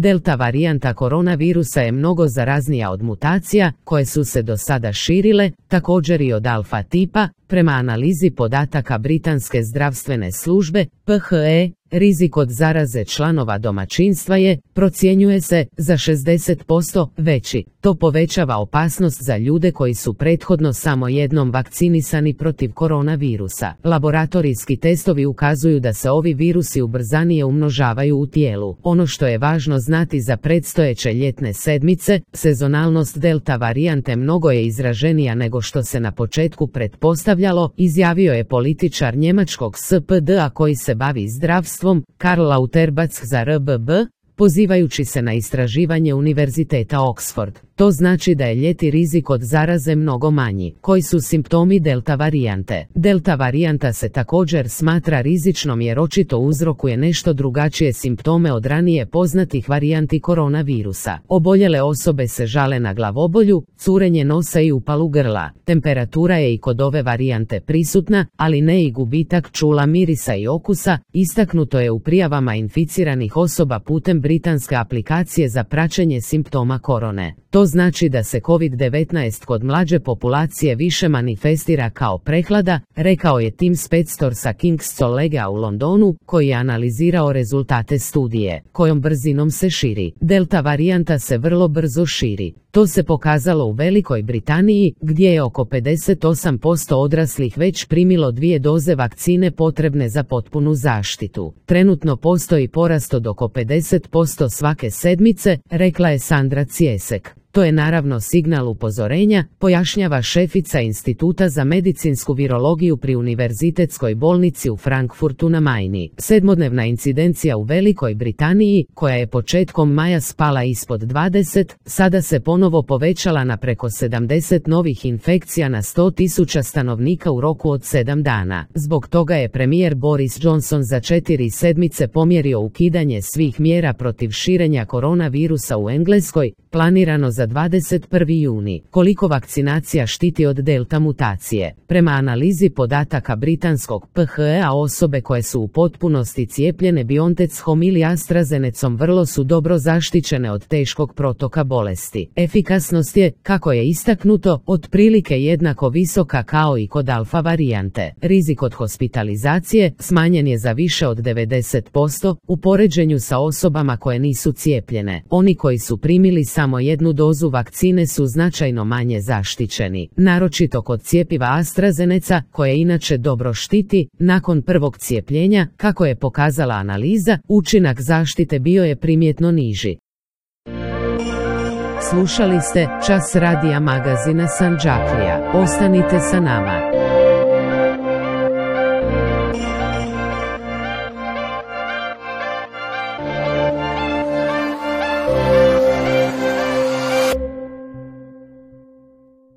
Delta varijanta koronavirusa je mnogo zaraznija od mutacija koje su se do sada širile, također i od alfa tipa. Prema analizi podataka Britanske zdravstvene službe, PHE, rizik od zaraze članova domaćinstva je, procjenjuje se, za 60% veći. To povećava opasnost za ljude koji su prethodno samo jednom vakcinisani protiv koronavirusa. Laboratorijski testovi ukazuju da se ovi virusi ubrzanije umnožavaju u tijelu. Ono što je važno znati za predstojeće ljetne sedmice, sezonalnost delta varijante mnogo je izraženija nego što se na početku pretpostavljalo, izjavio je političar njemačkog SPD-a koji se bavi zdravstvom, Karl Lauterbach za RBB, pozivajući se na istraživanje Univerziteta Oxford. To znači da je ljeti rizik od zaraze mnogo manji. Koji su simptomi delta varijante? Delta varijanta se također smatra rizičnom jer očito uzrokuje nešto drugačije simptome od ranije poznatih varijanti koronavirusa. Oboljele osobe se žale na glavobolju, curenje nosa i upalu grla. Temperatura je i kod ove varijante prisutna, ali ne i gubitak čula, mirisa i okusa, istaknuto je u prijavama inficiranih osoba putem britanske aplikacije za praćenje simptoma korone. To znači da se COVID-19 kod mlađe populacije više manifestira kao prehlada, rekao je Tim Spector sa King's Collegea u Londonu, koji je analizirao rezultate studije, kojom brzinom se širi. Delta varijanta se vrlo brzo širi. To se pokazalo u Velikoj Britaniji, gdje je oko 58% odraslih već primilo 2 doze vakcine potrebne za potpunu zaštitu. Trenutno postoji porast od oko 50% svake sedmice, rekla je Sandra Ciesek. To je naravno signal upozorenja, pojašnjava šefica Instituta za medicinsku virologiju pri Univerzitetskoj bolnici u Frankfurtu na Majni. Sedmodnevna incidencija u Velikoj Britaniji, koja je početkom maja spala ispod 20, sada se ponovo povećala na preko 70 novih infekcija na 100.000 stanovnika u roku od 7 dana. Zbog toga je premijer Boris Johnson za 4 sedmice pomjerio ukidanje svih mjera protiv širenja koronavirusa u Engleskoj, planirano za 21. juni. Koliko vakcinacija štiti od delta mutacije? Prema analizi podataka britanskog PHE-a osobe koje su u potpunosti cijepljene BioNTechom ili AstraZenecom vrlo su dobro zaštićene od teškog protoka bolesti. Efikasnost je, kako je istaknuto, otprilike jednako visoka kao i kod alfa varijante. Rizik od hospitalizacije smanjen je za više od 90% u poređenju sa osobama koje nisu cijepljene. Oni koji su primili samo jednu dozu vakcine su značajno manje zaštićeni, naročito kod cjepiva AstraZeneca, koje inače dobro štiti. Nakon prvog cijepljenja, kako je pokazala analiza, učinak zaštite bio je primjetno niži. Slušali ste Čas radija magazina Sandžaklija. Ostanite sa nama.